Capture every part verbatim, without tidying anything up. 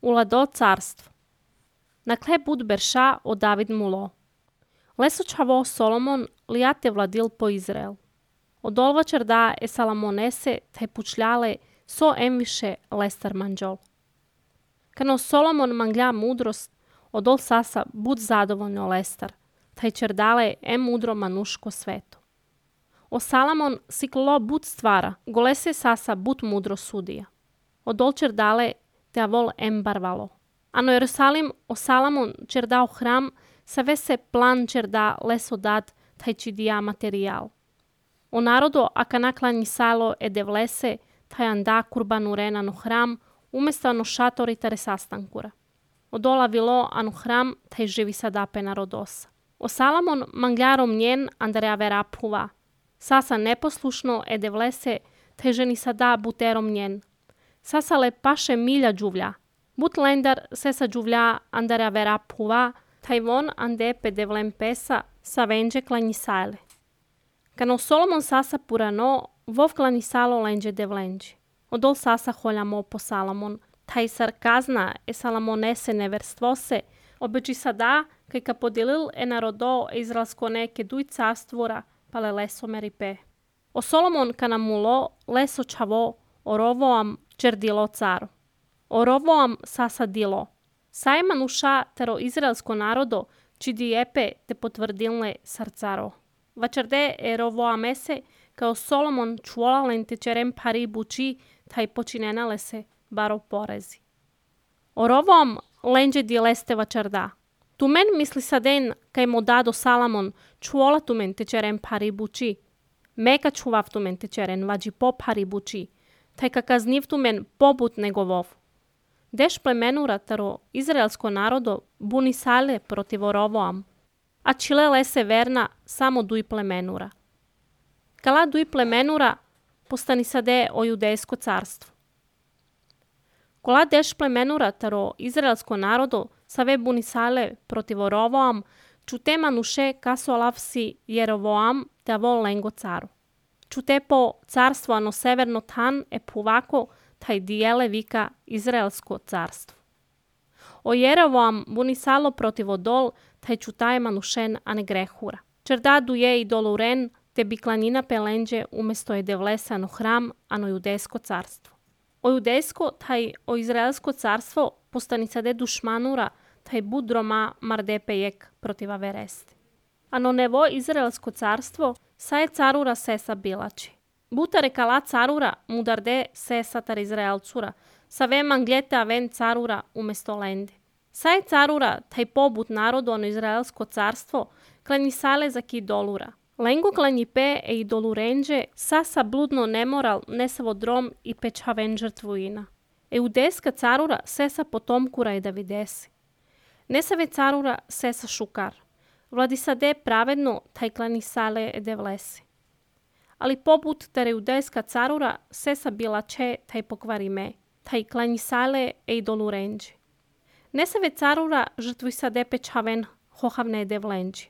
Уладо царство. Накле буд берша о Давид муло. Лесо чаво Соломон лияте владил по Израел. Одолва черда е Саламонесе те пучляле со емвише лестар манджол. Кано Соломон мангля мудрост, одол саса буд задоволно лестар, taj čerdale e mudro manuško sveto. O Salamon siklo bud stvara, golese sasa bud mudro sudija. Odol čerdale te avol em barvalo. Ano Jerusalim o Salamon čerdao hram, sa vese plan čerda leso dat taj čidija materijal. O narodo aka naklanji salo e devlese, taj anda kurbanurena no hram, umesto ano šatori tare sastankura. Odola vilo anu hram, taj živi sadape narodosa. O Salamon mangjarom njen andare avera puva. Sasa neposlušno e devlese, te ženi sada buterom njen. Sasa le paše milja džuvlja. But lendar sesa džuvlja andare avera puva, taj von ande pe devlem pesa sa venđe klanjisale. Kano Solomon sasa purano, vov klanjisalo lenđe devlenđe. Odol sasa holjamo po Salamon, taj sarkazna e Salamonese neverstvose, obeči sada, kaj ka podelil e narodo izraelsko neke duj carstvora, pale leso meripe. O Solomon ka namulo leso čavo, o rovoam čerdilo caru. O rovoam sasa dilo. Sajman uša tero izraelsko narodo, čidi epe te potvrdilne sarcaro. Vačerde e rovoamese, kao Solomon čuolalen te čerem pari buči, taj počinenale se baro porezi. O rovoam lenđe di leste vačarda. Tu men misli saden kaj mo dado Salamon čuola tu men te čeren pari buči. Meka čuvav tu men te čeren vađi po pari buči. Taj kakazniv tu men pobut negovov. Deš plemenura taro izraelsko narodo buni sale protiv Rovoam. A čile lese verna samo duj plemenura. Kala duj plemenura postani sade o judejsko carstvo. Kola deš plemenura taro izraelsko narodo save bunisale protiv Rovoam, čute manuše kaso lavsi Jerovoam te avol lengo caru. Čute po carstvo ano severno tan e puvako taj dijele vika izraelsko carstvo. O Jerovoam bunisalo protiv odol taj čutaje manušen ane grehura. Čerdadu je i doluren te bi klanina pelenđe umesto je devlesa ano hram ano judejsko carstvo. O judejsko taj o izraelsko carstvo postani sade dušmanura taj budroma mardepejek protiv averesti. Ano nevo izraelsko carstvo sa je carura sesa bilači. Butare kala carura mudarde sesa tar izraelcura, sa ve manglete aven carura umesto lende. Sa je carura taj pobut narodu ono izraelsko carstvo klanji sale za ki dolura. Lengo klanji pe e i dolurenđe sasa bludno nemoral nesavo drom i pečhaven žrtvuina. E udeska carura sesa potomkura i Davidesi. Nesave carura sesa šukar. Vladi sade pravedno taj klani sale e devlesi. Ali poput tare judejska carura sesa bila če taj pokvari me, taj klani sale e idolurenđe. Nesave carura žrtvuj sade pečhaven hohavne e devlenđe.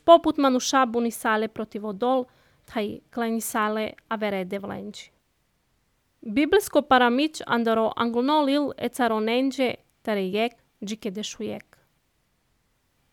Poput manuša buni sale protiv odol, taj klani sale avere e devlenđe. Biblijsko paramić andaro anglonolil e caronenđe tare jek džike dešujek.